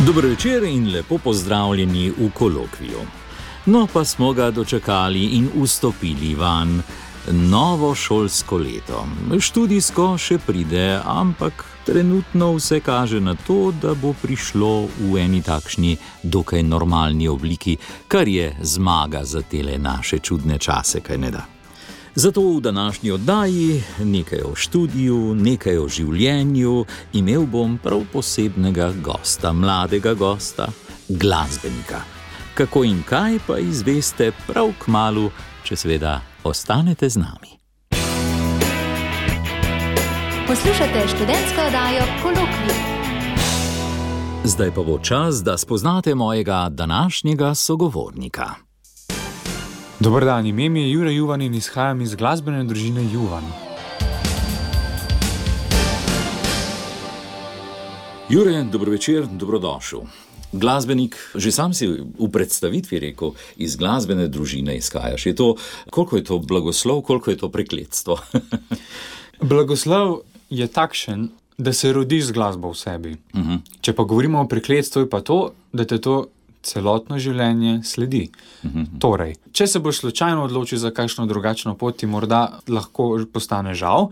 Dober večer in lepo pozdravljeni v kolokviju. No, pa smo ga dočakali in vstopili van. Novo šolsko leto. Študijsko še pride, ampak trenutno vse kaže na to, da bo prišlo v eni takšni dokaj normalni obliki, kar je zmaga za tele naše čudne čase, kaj ne da. Zato v današnji oddaji nekaj o študiju, nekaj o življenju, imel bom prav posebnega gosta, mladega gosta, glasbenika. Kako in kaj pa izveste prav kmalu, če seveda ostanete z nami. Poslušate študentsko oddajo Kolokvij. Zdaj pa bo čas, da spoznate mojega današnjega sogovornika. Dober dan, ime mi je Jure Juvan in izhajam iz glasbene družine Juvan. Jure, dobro večer, dobrodošel. Glasbenik, že sam si v predstavitvi rekel, iz glasbene družine izhajaš. Koliko je to blagoslov, koliko je to prekletstvo? Blagoslov je takšen, da se rodi z glasbo v sebi. Če pa govorimo o prekletstvu, je pa to, da te to celotno življenje sledi. Torej, če se boš slučajno odločil za kakšno drugačno pot, ti morda lahko postane žal,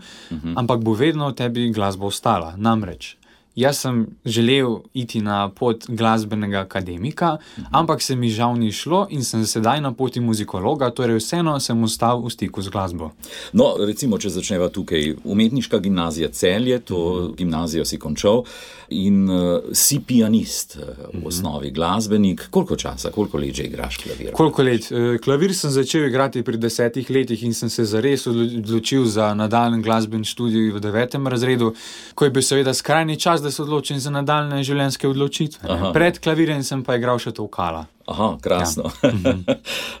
ampak bo vedno v tebi glasba ostala. Namreč, jaz sem želel iti na pot glasbenega akademika, ampak se mi žal ni šlo in sem sedaj na poti muzikologa, torej vseeno sem ostal v stiku z glasbo. No, recimo, če začneva tukaj, umetniška gimnazija Celje, to gimnazijo si končal in si pianist v osnovi, glasbenik. Koliko časa, koliko let že igraš klavir? Koliko let? Klavir sem začel igrati pri 10 letih in sem se zares odločil za nadaljnji glasbeni študij v 9. razredu, ko je bil seveda skrajni čas, da se odločim za nadaljne življenjske odločitve. Pred klavirjem sem pa igral še tolkala. Aha, krasno. Ja.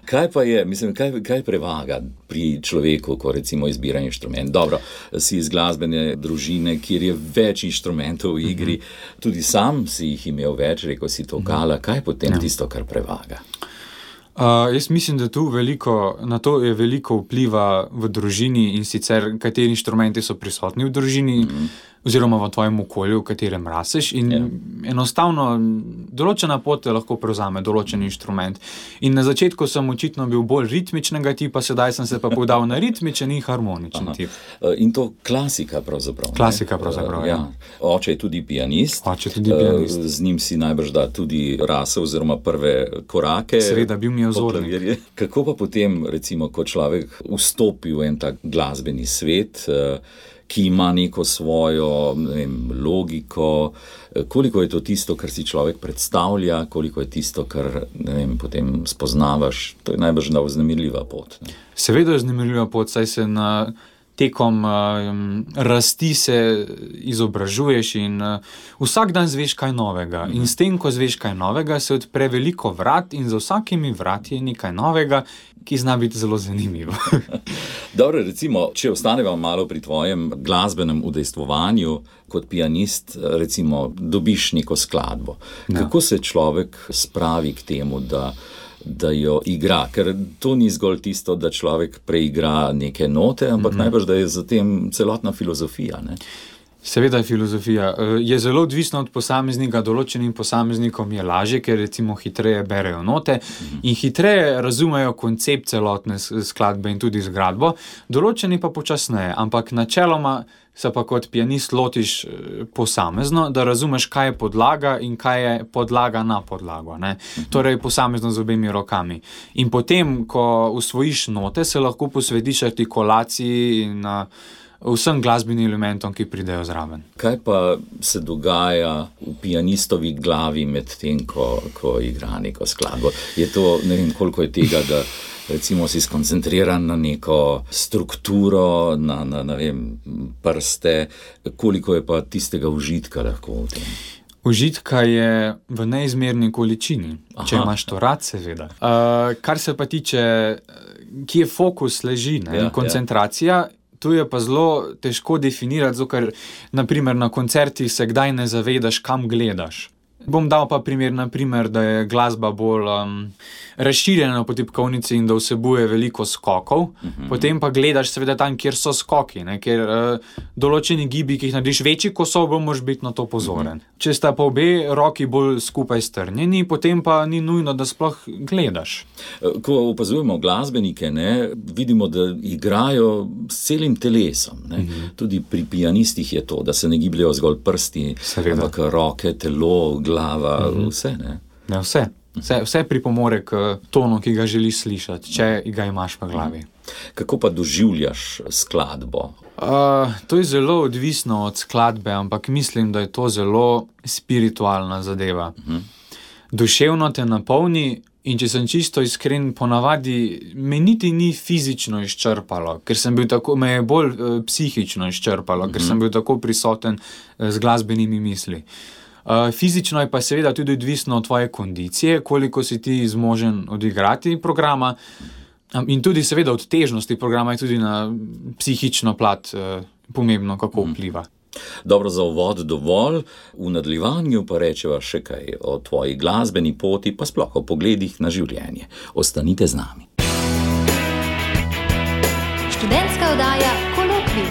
Kaj pa je, kaj prevaga pri človeku, ko recimo izbira inštrument? Dobro, si iz glasbene družine, kjer je več inštrumentov v igri, tudi sam si jih imel več, rekel si tolkala, kaj je potem tisto, kar prevaga? Jaz mislim, da na to je veliko vpliva v družini in sicer kateri inštrumenti so prisotni v družini oziroma v tvojem okolju, v katerem raseš in enostavno določena pot lahko prevzame določen inštrument. In na začetku sem očitno bil bolj ritmičnega tipa, sedaj sem se pa podal na ritmičen in harmoničen tip. In to klasika pravzaprav. Klasika pravzaprav, ja. Oče je tudi pianist. Z njim si najbrž da tudi rasel oziroma prve korake. Seveda, bil mi je vzornik. Kako pa potem, recimo, ko človek vstopi v en tak glasbeni svet, ki ima neko svojo, logiko, koliko je to tisto, kar si človek predstavlja, koliko je tisto, kar, potem spoznavaš, to je najbrž vznemirljiva pot. Ne? Seveda je vznemirljiva pot, saj se tekom rasti se izobražuješ in vsak dan zveš kaj novega. In s tem, ko zveš kaj novega, se odpre veliko vrat in za vsakimi vrati je nekaj novega, ki zna biti zelo zanimivo. Dobro, recimo, če ostaneva malo pri tvojem glasbenem udejstvovanju, kot pianist, recimo, dobiš neko skladbo. Ja. Kako se človek spravi k temu, da jo igra? Ker to ni zgolj tisto, da človek preigra neke note, ampak najbrž, da je za tem celotna filozofija, ne? Seveda je filozofija. Je zelo odvisno od posameznika, določenim posameznikom je lažje, ker recimo hitreje berejo note in hitreje razumejo koncept celotne skladbe in tudi zgradbo, določeni pa počasneje, ampak načeloma se pa kot pianist lotiš posamezno, da razumeš, kaj je podlaga in kaj je podlaga na podlago, ne? Torej posamezno z obemi rokami. In potem, ko usvojiš note, se lahko posvetiš artikulaciji in vsem glasbenim elementom, ki pridejo zraven. Kaj pa se dogaja v pianistovi glavi med tem, ko igra neko skladbo? Je to, ne vem, koliko je tega, da recimo si skoncentriran na neko strukturo, na prste, koliko je pa tistega užitka lahko v tem? Užitka je v neizmerni količini, če imaš to rad, seveda. Kar se pa tiče, kje fokus leži, in koncentracija, tu je pa zelo težko definirati, ker naprimer na koncertih se kdaj ne zavedaš, kam gledaš. Bom dal pa primer, naprimer, da je glasba bolj razširjena po tipkovnici in da vsebuje veliko skokov. Potem pa gledaš seveda tam, kjer so skoki, ne? Ker določeni gibi, ki jih narediš večji, ko so, moraš biti na to pozoren. Če sta pa obe roki bolj skupaj strnjeni, potem pa ni nujno, da sploh gledaš. Ko opazujemo glasbenike, ne, vidimo, da igrajo s celim telesom. Ne? Tudi pri pianistih je to, da se ne gibljajo zgolj prsti, ampak roke, telo, glava, vse. Ne? Ja, vse pripomore k tonu, ki ga želiš slišati, če ga imaš v glavi. Kako pa doživljaš skladbo? To je zelo odvisno od skladbe, ampak mislim, da je to zelo spiritualna zadeva. Duševno te napolni in če sem čisto iskren, ponavadi me niti ni fizično izčrpalo, ker sem bil tako, me je bolj psihično izčrpalo, ker sem bil tako prisoten z glasbenimi misli. Fizično je pa seveda tudi odvisno od tvoje kondicije, koliko si ti zmožen odigrati programa in tudi seveda od težnosti programa je tudi na psihično plat pomembno, kako vpliva. Dobro, za uvod dovolj, v nadaljevanju pa rečeva še kaj o tvoji glasbeni poti, pa sploh o pogledih na življenje. Ostanite z nami. Študentska oddaja Kolokvij.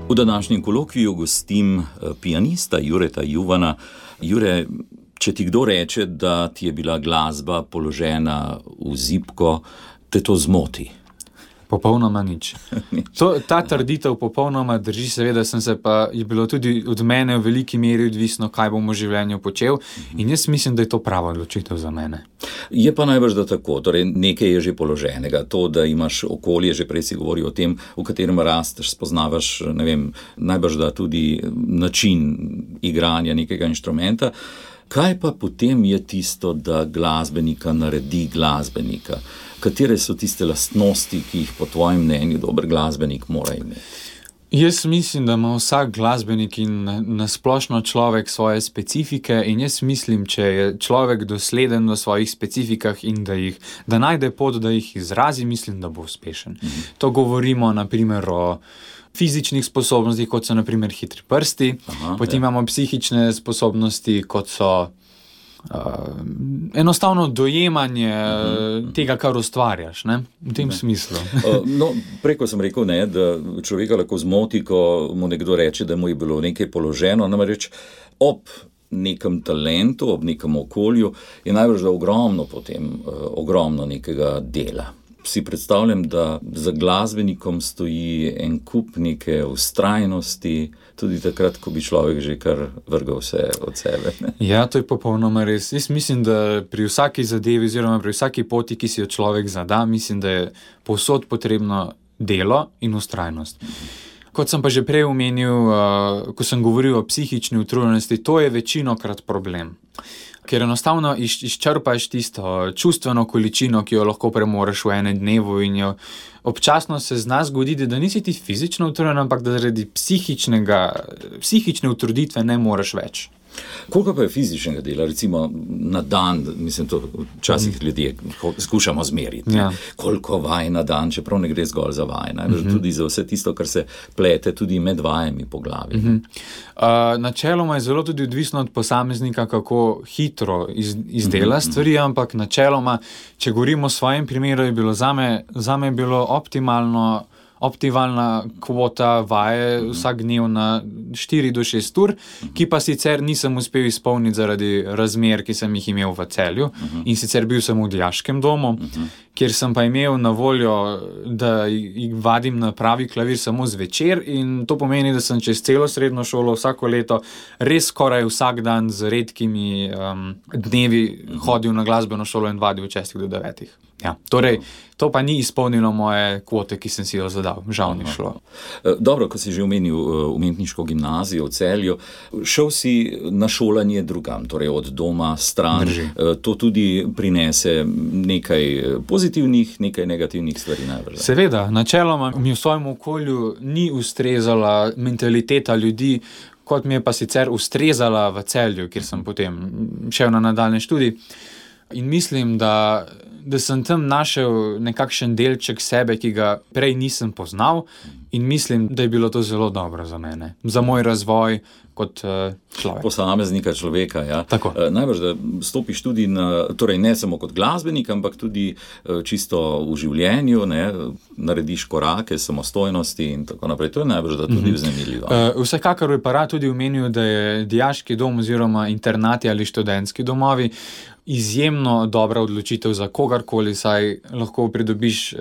V današnjem kolokviju gostim pianista Jureta Juvana. Jure, če ti kdo reče, da ti je bila glasba položena v zibko, te to zmoti? Popolnoma nič. Ta trditev popolnoma drži, seveda je bilo tudi od mene v veliki meri odvisno, kaj bom v življenju počel in jaz mislim, da je to prava odločitev za mene. Je pa najbrž da tako, torej nekaj je že položenega, to, da imaš okolje, že prej si govoril o tem, v katerem rasteš, spoznavaš, ne vem, najbrž da tudi način igranja nekega inštrumenta. Kaj pa potem je tisto, da glasbenika naredi glasbenika? Katere so tiste lastnosti, ki jih po tvojem mnenju dober glasbenik mora imeti? Jaz mislim, da ima vsak glasbenik in nasplošno človek svoje specifike in jaz mislim, če je človek dosleden v svojih specifikah in da najde pot, da jih izrazi, mislim, da bo uspešen. To govorimo naprimer o fizičnih sposobnostih, kot so naprimer hitri prsti, potem imamo psihične sposobnosti, kot so enostavno dojemanje tega, kar ustvarjaš, ne? V tem smislu. Preko sem rekel, ne, da človeka lahko zmoti, ko mu nekdo reče, da mu je bilo nekaj položeno, namreč ob nekem talentu, ob nekem okolju je najbrž da ogromno nekega dela. Si predstavljam, da za glasbenikom stoji en kup neke vztrajnosti, tudi takrat, ko bi človek že kar vrgal vse od sebe. Ne? Ja, to je popolnoma res. Jaz mislim, da pri vsaki zadevi oziroma pri vsaki poti, ki si jo človek zada, mislim, da je povsod potrebno delo in vztrajnost. Kot sem pa že prej omenil, ko sem govoril o psihični utrujenosti, to je večinokrat problem. Ker enostavno izčrpaš tisto čustveno količino, ki jo lahko premoreš v enem dnevu in jo občasno se zna zgoditi, da nisi ti fizično utrujen, ampak da zaradi psihične utruditve ne moreš več. Koliko pa je fizičnega dela, recimo na dan, mislim, to včasih ljudje skušamo zmeriti, koliko vaj na dan, čeprav ne gre zgolj za vaj, tudi za vse tisto, kar se plete tudi med vajami po glavi. Načeloma je zelo tudi odvisno od posameznika, kako hitro izdela stvari, ampak načeloma, če govorimo o svojem primeru, je bilo zame je bilo optimalna kvota vaje vsak dnev na 4 do 6 ur, ki pa sicer nisem uspel izpolniti zaradi razmer, ki sem jih imel v Celju in sicer bil sem v dijaškem domu, kjer sem pa imel na voljo, da vadim na pravi klavir samo zvečer in to pomeni, da sem čez celo srednjo šolo vsako leto res skoraj vsak dan z redkimi dnevi hodil na glasbeno šolo in vadil od 6 do 9. Ja, torej, to pa ni izpolnilo moje kvote, ki sem si jo zadal. Žal ni šlo. Dobro, ko si že omenil umetniško gimnazijo v Celju, šel si na šolanje drugam, torej od doma stran. Drži. To tudi prinese nekaj pozitivnih, nekaj negativnih stvari najbrž. Seveda, načeloma mi v svojem okolju ni ustrezala mentaliteta ljudi, kot mi je pa sicer ustrezala v Celju, kjer sem potem šel na nadaljnji študij. In mislim, da sem tam našel nekakšen delček sebe, ki ga prej nisem poznal, in mislim, da je bilo to zelo dobro za mene, za moj razvoj kot človek. Posameznika človeka, ja. Tako. Najbrž, da stopiš tudi torej ne samo kot glasbenik, ampak tudi čisto v življenju, ne, narediš korake samostojnosti in tako naprej. To je najbrž, da tudi vznemirljivo. Vsekakor bi pa rad tudi omenil, da je dijaški dom oziroma internati ali študentski domovi izjemno dobra odločitev za kogarkoli, saj lahko pridobiš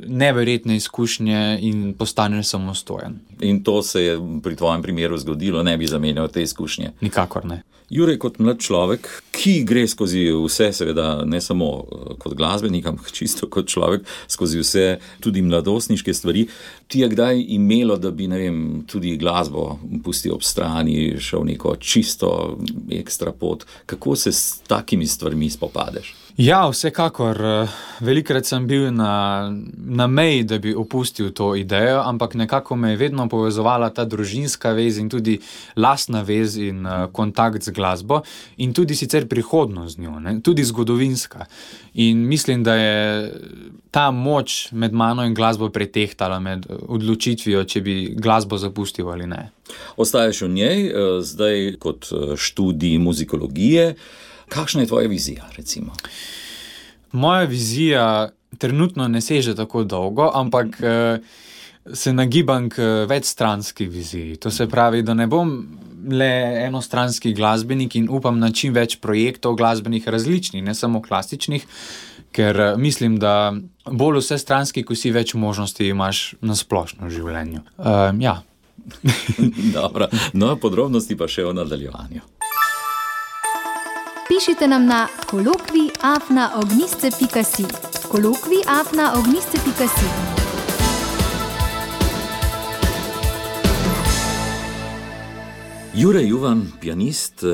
neverjetne izkušnje in postaneš samostojen. In to se je pri tvojem primeru zgodilo, ne bi zamenjal te izkušnje? Nikakor ne. Jure, kot mlad človek, ki gre skozi vse, seveda ne samo kot glasbenik, ampak čisto kot človek, skozi vse tudi mladostniške stvari, ti je kdaj imelo, da bi, ne vem, tudi glasbo pustil ob strani, šel neko čisto ekstra pot? Kako se s takimi stvarmi spopadeš? Ja, vsekakor. Velikokrat sem bil na meji, da bi opustil to idejo, ampak nekako me je vedno povezovala ta družinska vez in tudi lastna vez in kontakt z glasbo in tudi sicer prihodnost z njo, ne? Tudi zgodovinska. In mislim, da je ta moč med mano in glasbo pretehtala med odločitvijo, če bi glasbo zapustil ali ne. Ostaješ v njej, zdaj kot študij muzikologije. Kakšna je tvoja vizija, recimo? Moja vizija trenutno ne seže tako dolgo, ampak se nagibam k večstranski viziji. To se pravi, da ne bom le enostranski glasbenik in upam na čim več projektov glasbenih različnih, ne samo klasičnih, ker mislim, da bolj vsestranski, ko si več možnosti imaš na splošno v življenju. Ja. Dobro, no, podrobnosti pa še o nadaljevanju. Pišite nam na kolokvij@ognjisce.si. kolokvij@ognjisce.si. Jure Juvan, pianist,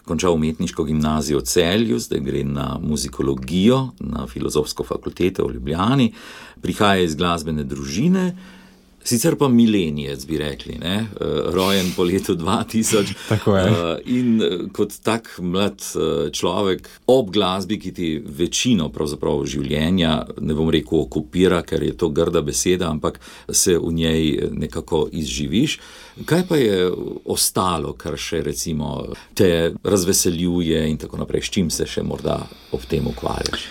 končal umetniško gimnazijo v Celju, zdaj gre na muzikologijo na Filozofsko fakulteto v Ljubljani, prihaja iz glasbene družine, sicer pa milenijec, bi rekli, ne? Rojen po letu 2000. Tako je. In kot tak mlad človek ob glasbi, ki ti večino pravzaprav življenja, ne bom rekel okupira, ker je to grda beseda, ampak se v njej nekako izživiš. Kaj pa je ostalo, kar še recimo te razveseljuje in tako naprej, s čim se še morda ob tem ukvarjaš?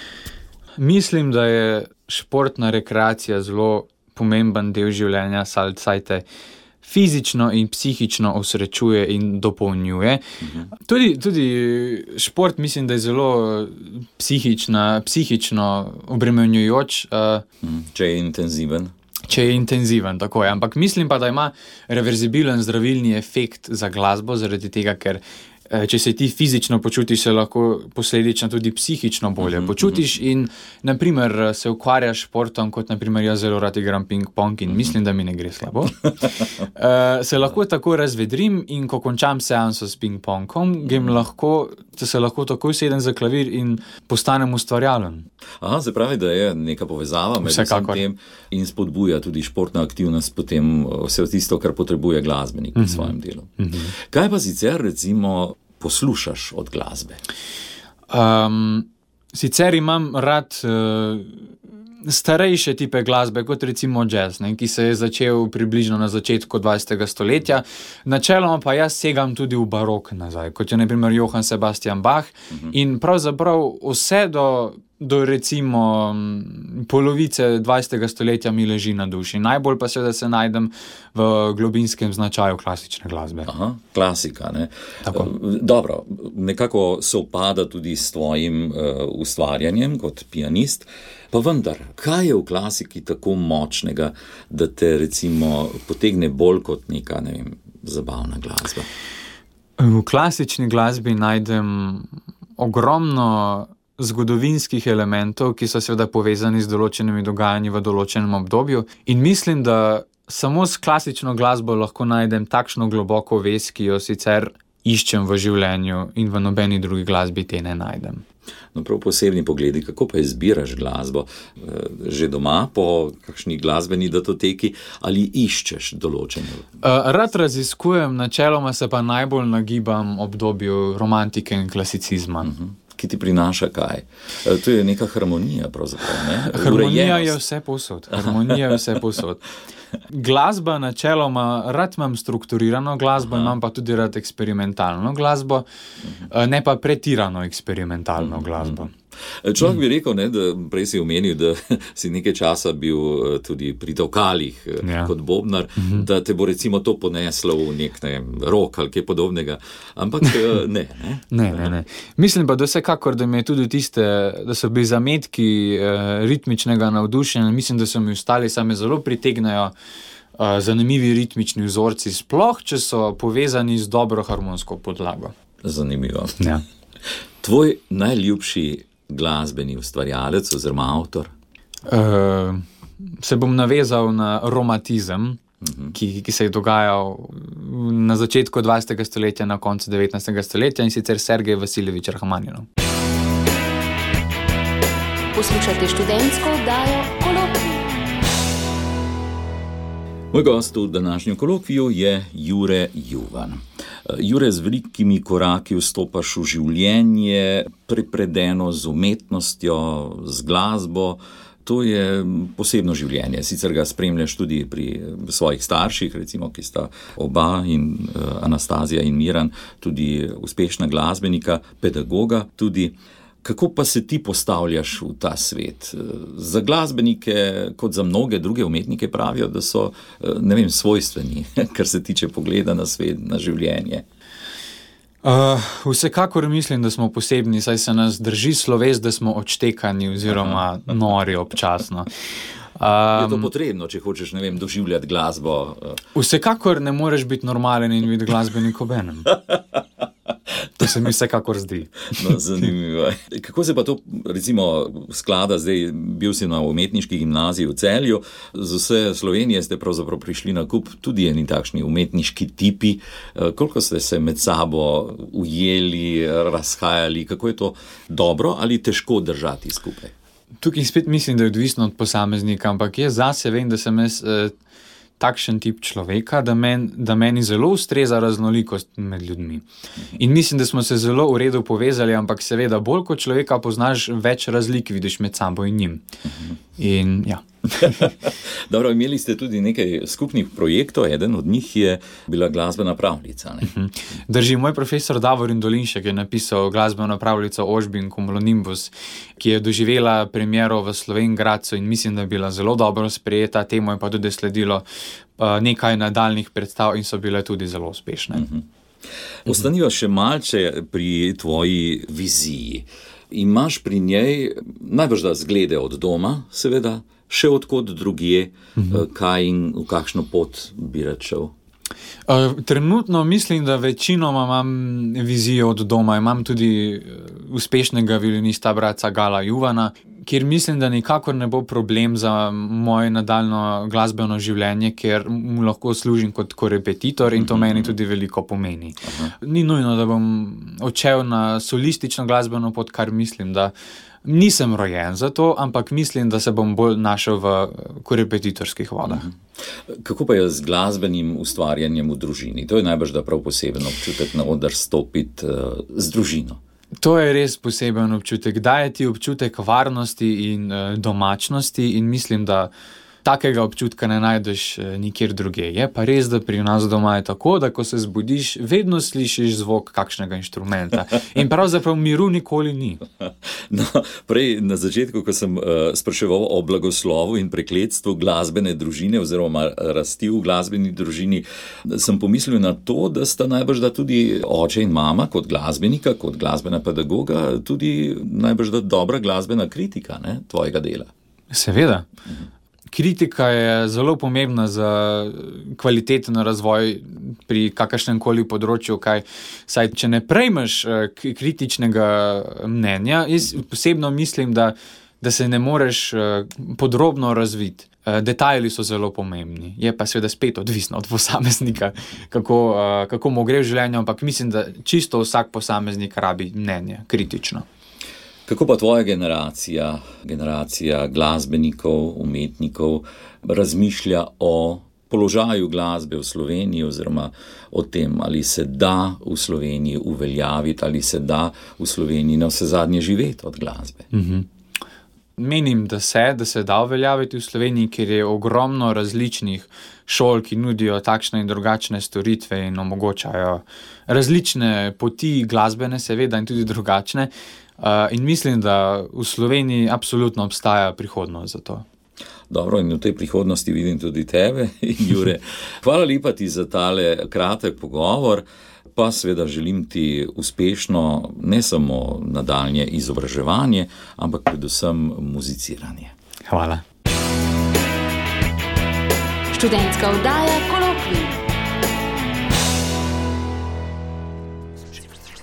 Mislim, da je športna rekreacija zelo pomemben del življenja, saj te fizično in psihično osrečuje in dopolnjuje. Tudi šport mislim, da je zelo psihično obremenjujoč. Če je intenziven. Če je intenziven, tako je. Ampak mislim pa, da ima reverzibilen zdravilni efekt za glasbo, zaradi tega, ker če se ti fizično počutiš, se lahko posledično tudi psihično bolje počutiš in, naprimer, se ukvarjaš športom, kot naprimer jaz zelo rad igram ping-pong in mislim, da mi ne gre slabo. Se lahko tako razvedrim in ko končam seanso s ping-pongom, se lahko takoj sedem za klavir in postanem ustvarjalen. Aha, se pravi, da je neka povezava med vsem tem in spodbuja tudi športna aktivnost, potem vse tisto, kar potrebuje glasbenik pri svojem delu. Kaj pa sicer, recimo, poslušaš od glasbe? Sicer imam rad starejše tipe glasbe, kot recimo jazz, ne, ki se je začel približno na začetku 20. stoletja. Načeloma pa jaz segam tudi v barok nazaj, kot je na primer Johann Sebastian Bach in pravzaprav vse do recimo polovice 20. stoletja mi leži na duši. Najbolj pa seveda se najdem v globinskem značaju klasične glasbe. Aha, klasika, ne? Tako. Dobro, nekako sovpada tudi s tvojim ustvarjanjem kot pianist, pa vendar, kaj je v klasiki tako močnega, da te recimo potegne bolj kot neka, ne vem, zabavna glasba? V klasični glasbi najdem ogromno zgodovinskih elementov, ki so seveda povezani z določenimi dogajanji v določenem obdobju in mislim, da samo s klasično glasbo lahko najdem takšno globoko vez, ki jo sicer iščem v življenju in v nobeni drugi glasbi te ne najdem. No, prav posebni pogledi, kako pa izbiraš glasbo? Že doma po kakšni glasbeni datoteki ali iščeš določene? Rad raziskujem, načeloma se pa najbolj nagibam obdobju romantike in klasicizma. Ki ki ti prinaša kaj? To je neka harmonija pravzaprav, ne? Harmonija je vse povsod. Glasba načeloma, rad imam strukturirano glasbo, imam pa tudi rad eksperimentalno glasbo, ne pa pretirano eksperimentalno glasbo. Človek bi rekel, ne, da prej si omenil, da si nekaj časa bil tudi pri Tavkalih kot bobnar, da te bo recimo to poneslo v nek rock ali kaj podobnega, ampak ne. Ne. Mislim pa, da vsekakor, da mi je tudi da so bili zametki ritmičnega navdušenja, mislim, da so mi ostali, same zelo pritegnajo zanimivi ritmični vzorci, sploh, če so povezani z dobro harmonsko podlago. Zanimivo. Ja. Tvoj najljubši glasbeni ustvarjalec oziroma avtor? Se bom navezal na romantizem, ki se je dogajal na začetku 20. stoletja, na koncu 19. stoletja, in sicer Sergej Vasiljevič Rahmaninov. Poslušajte študentsko oddajo Kolokvij. Moj gost v današnjem kolokviju je Jure Juvan. Jure, z velikimi koraki vstopaš v življenje, prepredeno z umetnostjo, z glasbo. To je posebno življenje. Sicer ga spremljaš tudi pri svojih starših, recimo, ki sta oba, in Anastazija in Miran, tudi uspešna glasbenika, pedagoga tudi. Kako pa se ti postavljaš v ta svet? Za glasbenike, kot za mnoge druge umetnike, pravijo, da so, svojstveni, kar se tiče pogleda na svet, na življenje. Vsekakor mislim, da smo posebni, saj se nas drži sloves, da smo odštekani oziroma nori občasno. Je to potrebno, če hočeš, doživljati glasbo? Vsekakor ne moreš biti normalen in biti glasbenik obenem. To se mi vsekakor zdi. No, zanimivo. Kako se pa to, recimo, sklada zdaj, bil si na umetniški gimnaziji v Celju, z vse Slovenije ste pravzaprav prišli na kup tudi eni takšni umetniški tipi. Koliko ste se med sabo ujeli, razhajali, kako je to dobro ali težko držati skupaj? Tukaj spet mislim, da je odvisno od posameznika, ampak jaz zase vem, da sem jaz takšen tip človeka, da meni zelo ustreza raznolikost med ljudmi. In mislim, da smo se zelo v redu povezali, ampak seveda bolj kot človeka poznaš, več razlik vidiš med sabo in njim. In ja. Dobro, imeli ste tudi nekaj skupnih projektov, eden od njih je bila glasbena pravljica. Ne? Drži, moj profesor Davorin Dolinšek je napisal glasbeno pravljico Ožbin Cumulonimbus, ki je doživela premiero v Slovenj Gradcu in mislim, da je bila zelo dobro sprejeta, temu je pa tudi sledilo nekaj nadaljnih predstav in so bile tudi zelo uspešne. Ostaniva še malce pri tvoji viziji. Imaš pri njej najbrž zglede od doma, seveda, še odkot drugje, kaj in v kakšno pot bi rad šel? Trenutno mislim, da večinoma imam vizijo od doma. Imam tudi uspešnega violinista bratca Gala Juvana, kjer mislim, da nikakor ne bo problem za moje nadaljno glasbeno življenje, ker mu lahko služim kot korepetitor in to meni tudi veliko pomeni. Ni nujno, da bom odšel na solistično glasbeno pot, kar mislim, da nisem rojen za to, ampak mislim, da se bom bolj našel v korepetitorskih vodah. Kako pa je z glasbenim ustvarjanjem v družini? To je najbrž da prav poseben občutek na oder stopiti z družino. To je res poseben občutek. Daje ti občutek varnosti in domačnosti in mislim, da takega občutka ne najdeš nikjer drugje. Je pa res, da pri nas doma je tako, da ko se zbudiš, vedno slišiš zvok kakšnega inštrumenta. In pravzaprav miru nikoli ni. No, prej na začetku, ko sem spraševal o blagoslovu in prekletstvu glasbene družine oziroma rasti v glasbeni družini, sem pomislil na to, da sta najbrž da tudi oče in mama kot glasbenika, kot glasbena pedagoga, tudi najbrž da dobra glasbena kritika, ne, tvojega dela. Seveda. Kritika je zelo pomembna za kvaliteten razvoj pri kakršnem koli področju, saj če ne prejmeš kritičnega mnenja, jaz posebno mislim, da se ne moreš podrobno razviti. Detajli so zelo pomembni, je pa seveda spet odvisno od posameznika, kako mu gre v življenju, ampak mislim, da čisto vsak posameznik rabi mnenje, kritično. Kako pa tvoja generacija glasbenikov, umetnikov razmišlja o položaju glasbe v Sloveniji oziroma o tem, ali se da v Sloveniji uveljaviti, ali se da v Sloveniji na vse zadnje živeti od glasbe. Menim, da se da uveljaviti v Sloveniji, ker je ogromno različnih šol, ki nudijo takšne in drugačne storitve in omogočajo različne poti glasbene, seveda, in tudi drugačne. In mislim, da v Sloveniji absolutno obstaja prihodnost za to. Dobro, in v tej prihodnosti vidim tudi tebe, Jure. Hvala lepa ti za tale kratek pogovor, pa seveda želim ti uspešno ne samo nadaljnje izobraževanje, ampak predvsem muziciranje. Hvala. Študentska oddaja Kolokvij.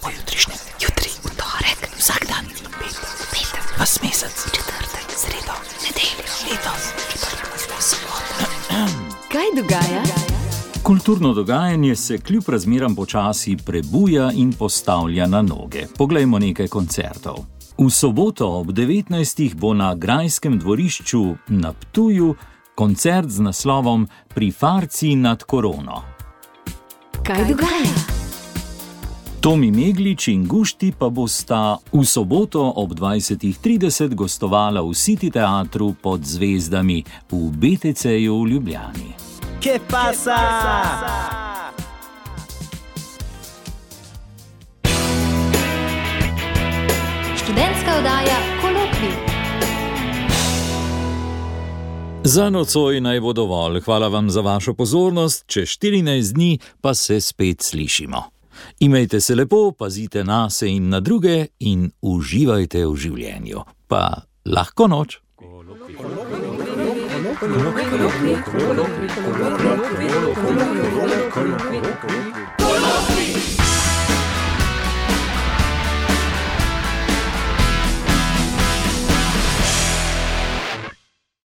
Pojutrišnjem, jutri, v torek, vsak dan, petek, vas mesec, četrtek, sredo, nedeljo, letos, soboto. Kaj dogaja? Kulturno dogajanje se kljub razmeram počasi prebuja in postavlja na noge. Poglejmo nekaj koncertov. V soboto ob 19. bo na Grajskem dvorišču na Ptuju koncert z naslovom Pri farci nad korono. Kaj dogaja? Tomi Meglič in Gušti pa bosta v soboto ob 20:30 gostovala v City teatru Pod zvezdami v BTC-ju v Ljubljani. ¿Qué pasa? Študentska oddaja Kolokvij. Za nocoj naj bo dovolj. Hvala vam za vašo pozornost. Čez 14 dni pa se spet slišimo. Imejte se lepo, pazite nase in na druge in uživajte v življenju. Pa lahko noč. Kolokvij.